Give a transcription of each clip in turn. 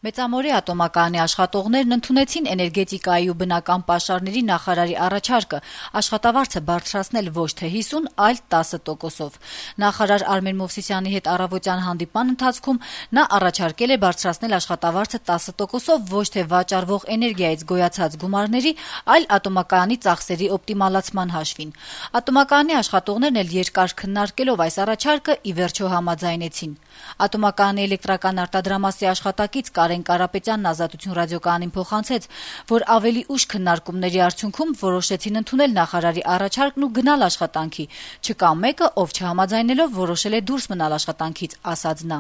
Մեծամորի ատոմակայանի աշխատողներն ընդունեցին էներգետիկայի ու բնական պաշարների նախարարի առաջարկը աշխատավարձը բարձրացնել ոչ թե 50, այլ 10%-ով։ Նախարար Արմեն Մովսիսյանի հետ առավոտյան հանդիպման ընթացքում նա առաջարկել է բարձրացնել աշխատավարձը 10%-ով ոչ թե վաճառվող էներգիայից գոյացած գումարների, այլ ատոմակայանի ծախսերի օպտիմալացման հաշվին։ Ատոմակայանի աշխատողներն էլ երկար քննարկելով այս առաջարկը ի վերջո համաձայնեցին։ Ատոմակայանի էլեկտրական արտադրամասի աշխատակից Կարեն Կարապետյանն Ազատություն ռադիոկայանին փոխանցեց, որ ավելի ուշ քննարկումների արդյունքում որոշեցին ընդունել նախարարի առաջարկն ու գնալ աշխատանքի։ Չկա մեկը, ով չհամաձայնելով որոշել է դուրս մնալ աշխատանքից, ասաց նա։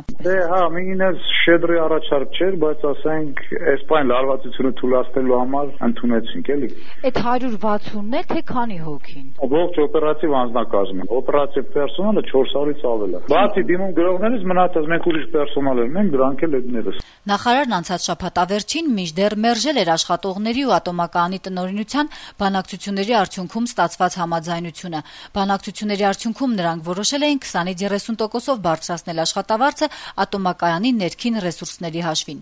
Մինչև շեդրի առաջարկ չէր, բայց ասենք այս բան լարվածությունը թույլատնելու համար ընդունեցինք, էլի։ Այդ 160-ն է, թե քանի հոգին։ Ողջ օպերատիվ անձնակազմը, օպերատիվ պերսոնալը 400-ից ավել է։ Բացի դիմում գրողներից մնացած մենք ուրիշ պերսոնալ ենք, դրանք էլ էդներս։ Նախարարն անցած շաբաթավերջին մինչդեռ մերժել էր աշխատողների ու ատոմակայանի տնօրինության բանակցությունների արդյունքում ստացված համաձայնությունը։ Բանակցությունների արդյունքում նրանք որոշել էին 20-ից 30%-ով բարձրացնել աշխատավարձը ատոմակայանի ներքին ռեսուրսների հաշվին։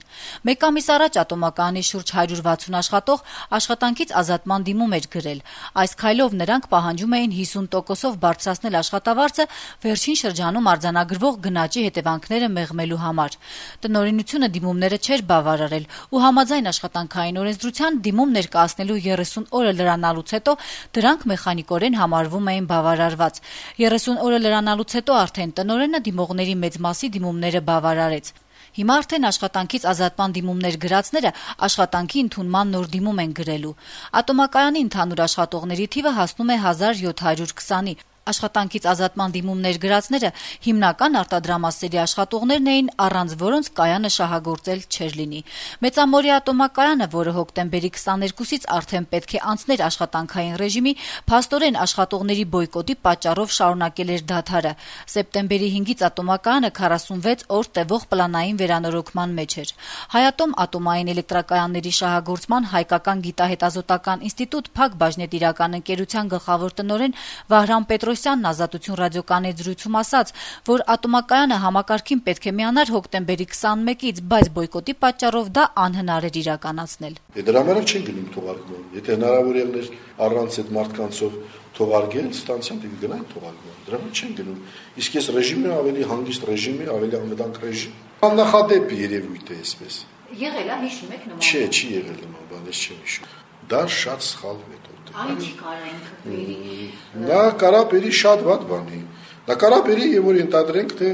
Մեկ ամիս առաջ ատոմակայանի շուրջ 160 աշխատող աշխատանքից ազատման դիմում էր գրել։ Այս քայլով նրանք պահանջում էին 50%-ով բարձրացնել աշխատավարձը վերջին շրջանում արձանագրվող գնաճի հետևանքները մեղմելու համար։ Տնօրինությունը դիմումները չէր բավարարել ու համաձայն աշխատանքային օրենսդրության դիմում ներկայացնելու 30 օրը լրանալուց հետո դրանք մեխանիկորեն համարվում էին բավարարված։ 30 օրը լրանալուց հետո արդեն տնօրենը դիմողների մեծ մասի դիմումները բավարարեց։ Հիմա արդեն աշխատանքից ազատման դիմումներ գրածները աշխատանքի ընդունման նոր դիմում են գրելու։ Ատոմակայանի ընդհանուր աշխատողների թիվը հասնում է 1720-ի։ Աշխատանքից ազատման դիմումներ գրածները հիմնական արտադրամասերի աշխատողներն էին, առանց որոնց կայանը շահագործել չէր լինի։ Մեծամորի ատոմակայանը, որը հոկտեմբերի 22-ից արդեն պետք է անցներ աշխատանքային ռեժիմի, փաստորեն աշխատողների բոյկոտի պատճառով շարունակել էր դադարը։ Սեպտեմբերի 5-ից ատոմակայանը 46 օր տևող պլանային վերանորոգման մեջ էր։ Հայատոմ ատոմային էլեկտրակայանների շահագործման հայկական գիտահետազոտական ինստիտուտ Փակ բաժնետիրական ընկերության գլխավոր տնօրեն Վահրամ Պետրոսյանն Ազատություն ռադիոկայանի զրույցում ասաց, որ ատոմակայանը համակարգին պետք է միանար հոկտեմբերի 21-ից, բայց բոյկոտի պատճառով դա անհնար էր իրականացնել։ Դրա համար չեն գնում թողարկման։ Եթե հնարավոր եղներ առանց այդ մարդկանցով թողարկել, ստանցիան դեպի գնային թողարկման։ Դրա համար չեն գնում։ Իսկ այս ռեժիմը ավելի հանգիստ ռեժիմ է, ավելի անվտանգ ռեժիմ։ Աննախադեպ երևույթ է այսպես։ Եղել է, հիշում եք նման։ Չի եղել նման բան, ես չեմ հիշում։ Դա շատ սխալ մեթոդ է։ Այն չի կարա ինքը բերի։ Նա կարա բերի շատ վատ բանի։ Նա կարա բերի եւ որ ենթադրենք թե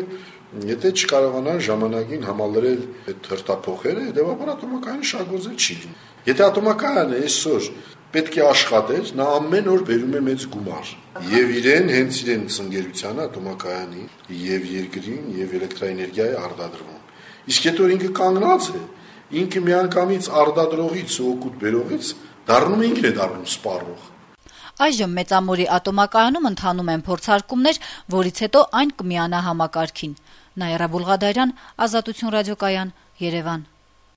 եթե չկարողանան ժամանակին համալրել այդ հրտափոխերը, հետեւաբար ատոմակայանը շահգործել չի լինի։ Եթե ատոմակայանը այսօր պետք է աշխատեր, նա ամեն օր բերում է մեծ գումար։ Եվ իրեն հենց իրեն ծնգերությանը ատոմակայանի եւ երկրին եւ էլեկտրաէներգիայի արտադրվում։ Իսկ եթե որ ինքը կանգնած է, ինքը միանգամից արտադրողից ու օգուտ բերողից դառնում է ինքն է դառնում սպառող։ Այժմ Մեծամորի ատոմակայանում ընթանում են փորձարկումներ, որից հետո այն կմիանա համակարգին։ Նաիրա Բուլղադարյան, Ազատություն ռադիոկայան, Երևան։